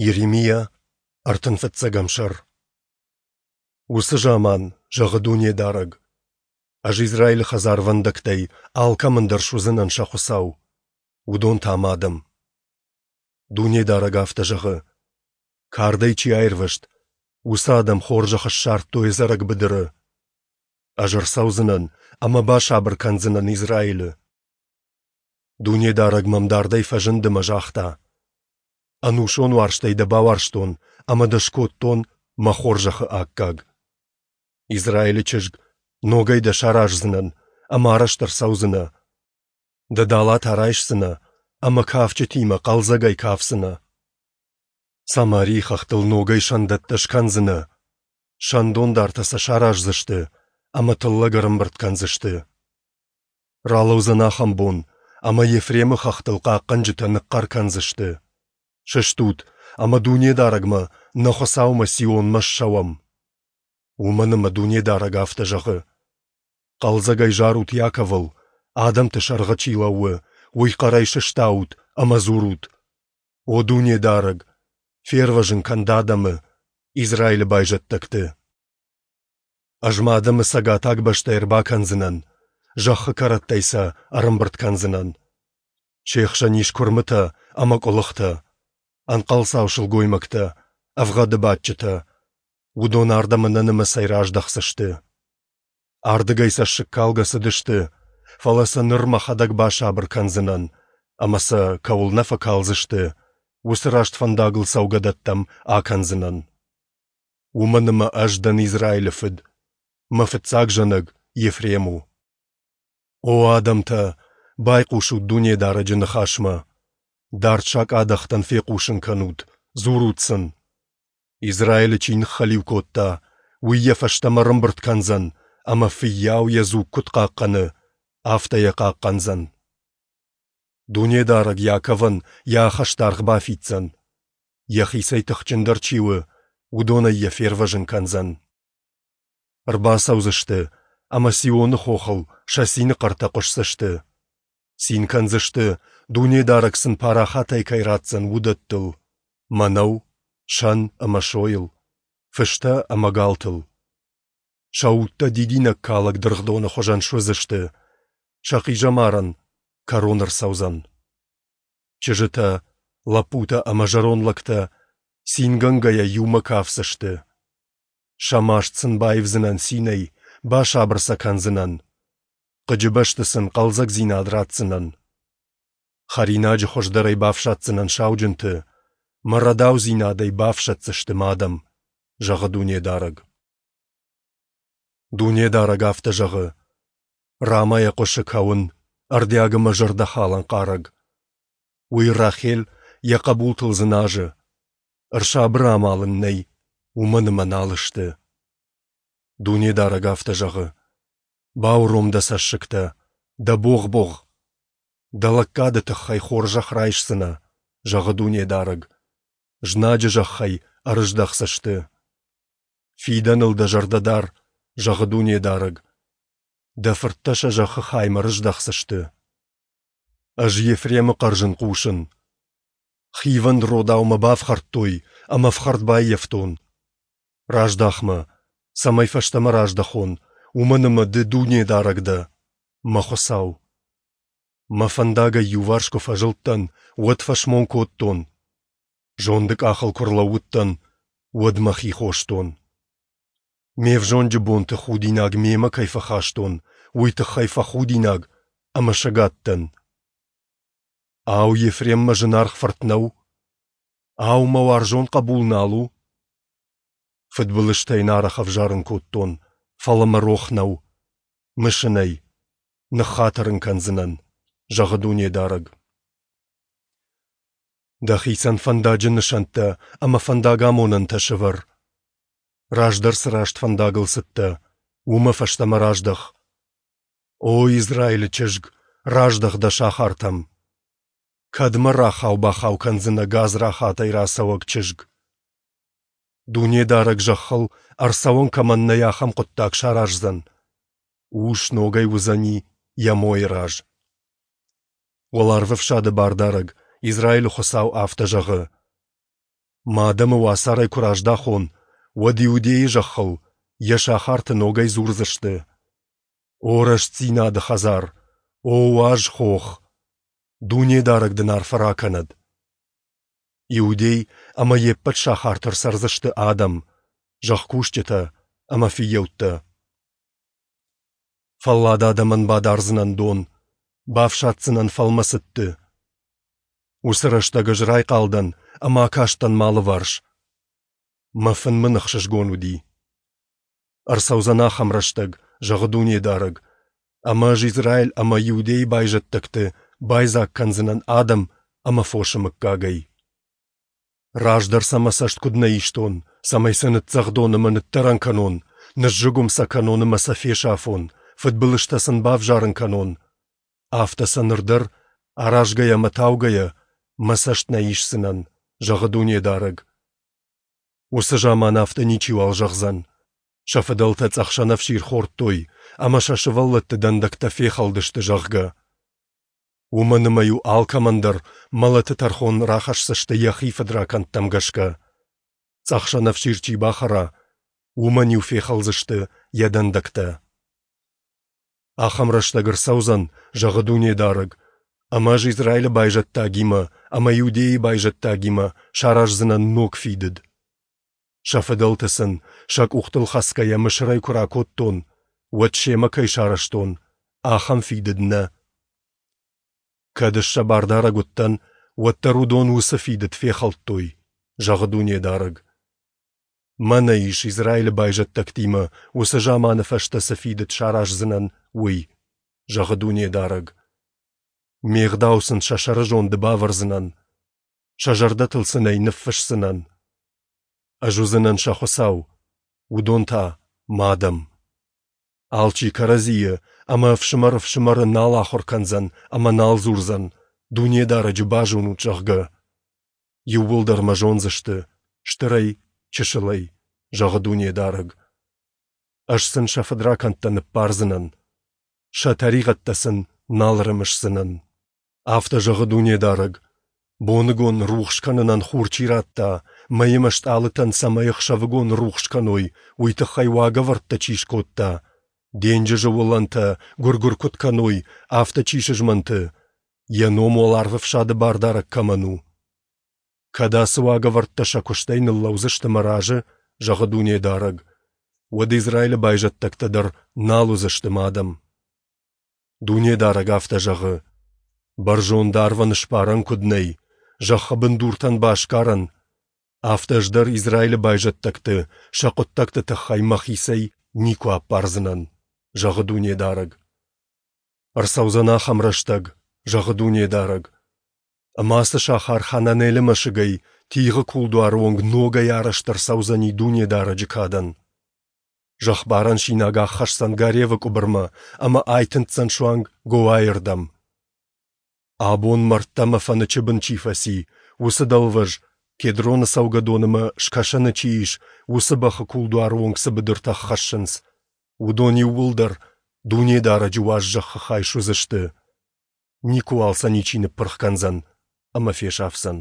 Йеремиа, ӕртын фыццӕгӕм сӕр. Уыцы заман, зӕгъы Дунедарӕг, Ӕз Израилы хӕдзарвӕндӕгтӕй алкӕмӕн дӕр суыдзынӕн сӕ Хуыцау, уыдон та Мӕ адӕм. Дунедарӕг афтӕ зӕгъы: Кардӕй чи аирвӕзт, уыцы адӕм хорзӕх ссардтой ӕдзӕрӕг быдыры. Ӕз ӕрцӕудзынӕн ӕмӕ басабыр кӕндзынӕн Израилы. Дунедарӕг мӕм дардӕй фӕзынд ӕмӕ загъта: Ӕнусон уарзтӕй дӕ бауарзтон ӕмӕ дӕ скодтон мӕ хорзӕхы аккаг. Израилы чызг, ногӕй дӕ сараздзынӕн ӕмӕ арӕзт ӕрцӕудзынӕ. Дӕ далатӕ райсдзынӕ ӕмӕ кафджытимӕ хъӕлдзӕгӕй кафдзынӕ. Самарийы хӕхтыл ногӕй сӕндӕттӕ скӕндзынӕ, сӕндондартӕ сӕ сараздзысты ӕмӕ тыллӕг ӕрӕмбырд кӕндзысты. Ралӕудзӕн ахӕм бон, ӕмӕ Ефремы хӕхтыл хъахъхъӕнджытӕ ныхъхъӕр кӕндзысты: Сыстут, ӕмӕ Дунедарӕгмӕ, нӕ Хуыцаумӕ Сионмӕ ссӕуӕм. Уымӕн ӕмӕ Дунедарӕг афтӕ зӕгъы: Хъӕлдзӕгӕй зарут Иаковыл, адӕмты сӕргъы чи лӕууы, уый хъӕрӕй сыстаут ӕмӕ дзурут: О Дунедарӕг, фервӕзын кӕн дӕ адӕмы, Израилы байзӕддӕгты. Ӕз мӕ адӕмы цӕгатаг бӕстӕй ӕрбакӕндзынӕн, зӕххы кӕрӕттӕй сӕ ӕрӕмбырд кӕндзынӕн. Се хсӕн ис куырмытӕ ӕмӕ къуылыхтӕ, ӕнхъӕлцау сылгоймӕгтӕ, ӕвгъӕды бадджытӕ. Уыдон ардӕм ӕнӕнымӕцӕй раздӕхдзысты. Ардыгӕй цӕссыгкалгӕ цыдысты, фӕлӕ сӕ ныр мӕхӕдӕг басабыр кӕндзынӕн, ӕмӕ сӕ, кӕуыл нӕ фӕкалдзысты, уыцы раст фӕндагыл цӕугӕдӕттӕм акӕндзынӕн. Уымӕн ӕмӕ ӕз дӕн Израилы фыд, мӕ фыццаг зӕнӕг Ефрем у. О адӕмтӕ, байхъусут Дунедарӕджы ныхасмӕ! Дард сакъадӕхтӕн фехъусын кӕнут, дзурут сын. Израилы чи ныххӕлиу кодта, уый йӕ фӕстӕмӕ ӕрӕмбырд кӕндзӕн, ӕмӕ фыййау йӕ дзуг куыд хъахъхъӕны, афтӕ йӕ хъахъхъӕндзӕн. Дунедарӕг Иаковӕн йӕ ахӕстаргъ бафиддзӕн. Йӕхицӕй тыхджындӕр чи у, уыдонӕй йӕ фервӕзын кӕндзӕн. Ӕрбацӕудзысты ӕмӕ Сионы хохыл сӕ цины хъӕртӕ хъуысдзысты. Цин кӕндзысты, Дунедарӕг сын парахатӕй кӕй ратдзӕн, уыдӕттыл: мӕнӕу, сӕн ӕмӕ сойыл, фыстӕ ӕмӕ галтыл. Сӕ удтӕ дидинӕгкалӕг дыргъдоны хуызӕн суыдзысты, сӕ хъизӕмарӕн кӕрон ӕрцӕудзӕн. Чызджытӕ, лӕппутӕ ӕмӕ зӕронд лӕгтӕ цингӕнгӕйӕ иумӕ кафдзысты. Сӕ маст сын баивдзынӕн цинӕй, басабыр сӕ кӕндзынӕн. Хъыджы бӕсты сын хъӕлдзӕгдзинад ратдзынӕн. Хӕринаджы хуыздӕрӕй бафсаддзынӕн сауджынты, мӕ рӕдаудзинадӕй бафсӕддзысты мӕ адӕм, зӕгъы Дунедарӕг. Дунедарӕг афтӕ зӕгъы: Рамӕйӕ хъуысы кӕуын, ӕрдиаг ӕмӕ зӕрдӕхалӕн хъарӕг. Уый Рахел йӕ хъӕбултыл дзыназы. Ӕрсабыр амал ын нӕй, уымӕн ӕмӕ нал сты. Дунедарӕг афтӕ зӕгъы: Бауром дӕ цӕссыгтӕ, дӕ богъ-богъ. Дӕ лӕггады тыххӕй хорзӕх райсдзынӕ, зӕгъы Дунедарӕг. Знаджы зӕххӕй ӕрыздӕхдзысты. Фидӕныл дӕ зӕрдӕ дар, зӕгъы Дунедарӕг. Дӕ фырттӕ сӕ зӕххы хаймӕ рыздӕхдзысты. Ӕз Ефремы хъӕрзын хъусын. Хивӕнд родау мӕ бафхӕрдтой ӕмӕ ӕфхӕрд баййӕфтон. Раздах мӕ, цӕмӕй фӕстӕмӕ раздӕхон, уымӕн ӕмӕ Ды Дунедарӕг дӕ, мӕ Хуыцау. Мӕ фӕндагӕй иуварс куы фӕзылдтӕн, уӕд фӕсмон кодтон. Зонды къахыл куы рлӕууыдтӕн, уӕд мӕхи хостон. Ме взонджы бонты худинаг мемӕ кӕй фӕхастон, уый тыххӕй фӕхудинаг ӕмӕ сӕгад дӕн. Ау, Ефрем мӕ зынаргъ фырт нӕу? Ау, мӕ уарзон хъӕбул нал у? Фыдбылызтӕ йын арӕх ӕвзарын кодтон, фӕлӕ мӕ рох нӕу. Мысын ӕй. Ныххатыр ын кӕндзынӕн, зӕгъы Дунедарӕг. Дӕхицӕн фӕндаджы нысӕнттӕ ӕмӕ фӕндагамонӕнтӕ сӕвӕр. Раздӕр цы раст фӕндагыл цыдтӕ, уымӕ фӕстӕмӕ раздӕх. О Израилы чызг, раздӕх дӕ сахартӕм! Кӕдмӕ рахау-бахау кӕндзынӕ гадзрахатӕй рацӕуӕг чызг? Дунедарӕг зӕххыл ӕрцӕуӕн кӕмӕн нӕй, ахӕм хъуыддаг сараздзӕн. Ус ногӕй уыдзӕни йӕ мойы раз. Уӕларвӕфсады Бардарӕг, Израилы Хуыцау афтӕ зӕгъы: Мӕ адӕмы уацарӕй куы раздахон, уӕд Иудейы зӕххыл, йӕ сахарты ногӕй дзурдзысты: О рӕстдзинады хӕдзар, о уаз хох! Дунедарӕг дын арфӕ ракӕнӕд! Иудей ӕмӕ йе ппӕт сахарты ӕрцӕрдзысты адӕм, зӕхкусджытӕ ӕмӕ фыййӕуттӕ. Фӕллад адӕмӕн бадардзынӕн дон, бафсаддзынӕн фӕлмӕцыдты. Уыцы рӕстӕг ӕз райхъал дӕн ӕмӕ акастӕн мӕ алыварс. Мӕ фын мын ӕхсызгон уыди. Ӕрцӕудзӕн ахӕм рӕстӕг, зӕгъы Дунедарӕг, ӕмӕ ӕз Израиль ӕмӕ Иудейы байзӕддӕгты байдзаг кӕндзынӕн адӕм ӕмӕ фосы мыггагӕй. Раздӕр сӕ мӕ цӕст куыд нӕ истон, цӕмӕй сӕ ныццӕгъдон ӕмӕ ныддӕрӕн кӕнон, ныззыгуым сӕ кӕнон ӕмӕ сӕ фесафон, фыдбылызтӕ сын бавзарын кӕнон, афтӕ сӕ ныр дӕр, аразгӕйӕ ӕмӕ таугӕйӕ, мӕ цӕст нӕ исдзынӕн, зӕгъы Дунедарӕг. Уыцы заман афтӕ ничиуал зӕгъдзӕн, сӕ фыдӕлтӕ цъӕх сӕнӕфсир хордтой ӕмӕ сӕ сывӕллӕтты дӕндӕгтӕ фехӕлдысты, зӕгъгӕ. Уымӕн ӕмӕ-иу алкӕмӕн дӕр мӕлӕты тӕрхон рахӕсдзысты йӕхи фыдракӕндтӕм гӕсгӕ. Цъӕх сӕнӕфсир чи бахӕра, уымӕн-иу фехӕлдзысты йӕ дӕндӕгтӕ. Ахӕм рӕстӕг ӕрцӕудзӕн, зӕгъы Дунедарӕг, ӕмӕ ӕз Израилы байзӕддагимӕ ӕмӕ Иудейы байзӕддагимӕ сараздзынӕн ног фидыд. Сӕ фыдӕлты сын, сӕ къухтыл хӕцгӕйӕ Мысырӕй куы ракодтон, уӕд семӕ кӕй сарӕзтон, ахӕм фидыд нӕ. Кӕд ӕз сӕ бардарӕг уыдтӕн, уӕддӕр уыдон уыцы фидыд фехӕлдтой, зӕгъы Дунедарӕг. Мӕнӕ ис Израилы байзӕддӕгтимӕ уыцы заманы фӕстӕ цы фидыд сараздзынӕн, уый, зӕгъы Дунедарӕг. Ме гъдау сын сӕ сӕрызонды бавӕрдзынӕн, сӕ зӕрдӕтыл сын ӕй ныффысдзынӕн. Ӕз уыдзынӕн сӕ Хуыцау, уыдон та мӕ адӕм. Алчи кӕрӕдзийы ӕмӕ ӕфсымӕр ӕфсымӕры нал ахуыр кӕндзӕн ӕмӕ нал дзурдзӕн, Дунедарӕджы базонут, зӕгъгӕ. Иууылдӕр мӕ зондзысты, стырӕй, чысылӕй, зӕгъы Дунедарӕг. Ӕз сын сӕ фыдракӕндтӕ ныббардзынӕн, сӕ тӕригъӕдтӕ сын нал ӕрымысдзынӕн. Афтӕ зӕгъы Дунедарӕг, боныгон рухс кӕнынӕн хур чи радта, мӕй ӕмӕ стъалытӕн цӕмӕй ӕхсӕвыгон рухс кӕной, уый тыххӕй уагӕвӕрдтӕ чи скодта, денджызы уылӕнтӕ гуыр-гуыр куыд кӕной, афтӕ чи сызмӕнты, йӕ ном уӕларвӕфсады бардарӕг кӕмӕн у. Кӕд ацы уагӕвӕрдтӕ сӕ куыстӕй ныллӕудзысты мӕ разы, зӕгъы Дунедарӕг, уӕд Израилы байзӕддӕгтӕ дӕр нал уыдзысты мӕ адӕм. Дунедарӕг афтӕ зӕгъы: Бӕрзонд арвӕн сбарӕн куыд нӕй, зӕххы бындуртӕн басгарӕн, афтӕ ӕз дӕр Израилы байзӕддӕгты сӕ хъуыддӕгты тыххӕй мӕхицӕй никуы аппардзынӕн, зӕгъы Дунедарӕг. Ӕрцӕудзӕн ахӕм рӕстӕг, зӕгъы Дунедарӕг, ӕмӕ ацы сахар Хананелы мӕсыгӕй Тигъы кулдуары онг ногӕй арӕзт ӕрцӕудзӕни Дунедарӕджы кадӕн. Зӕхбарӕн синаг аххӕсдзӕн Гаревы къуыбырмӕ ӕмӕ айтындздзӕн суанг Гоайы рдӕм. Абон мӕрдтӕ ӕмӕ фӕнычы бын чи фӕци, уыцы дӕлвӕз, Кедроны цӕугӕдоны ӕмӕ скӕсӕны чи ис, уыцы бӕхы кулдуары онг цы быдыртӕ ххӕссынц, уыдон иууылдӕр Дунедарӕджы уаз зӕххы хай суыдзысты. Никуыуал сӕ ничи ныппырх кӕндзӕн ӕмӕ фесафдзӕн.